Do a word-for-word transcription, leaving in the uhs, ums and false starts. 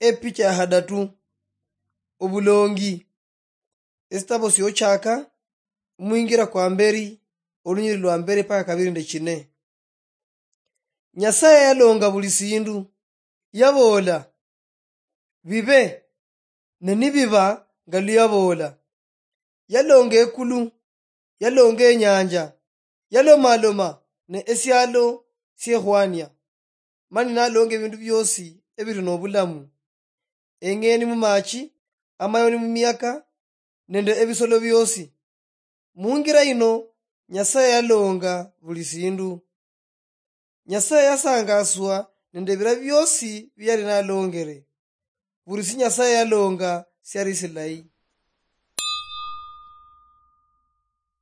Epicha ya hadatu. Obulongi. Esitabo siochaka, omwingira kwa mberi, olunyiri lwa mberi paka kabiri nde chine. Nyasaye yalonga buli sindu, yaboola, "Bibe," ne nibiba nga luyaboola. Yalonga ekulu, yalonga enyanja, yalomaloma ne esialo siehwania, mani nalonga ebindu biosi ebiri nobulamu, eng'eni mumachi, amayoni mumiyaka, nende ebisolo biosi. Mungira yino, Nyasaye yalonga buli sindu. Nyasaye yasangaswa nende ebira biosi biyali nalongere. Buli si Nyasaye yalonga siali silayi.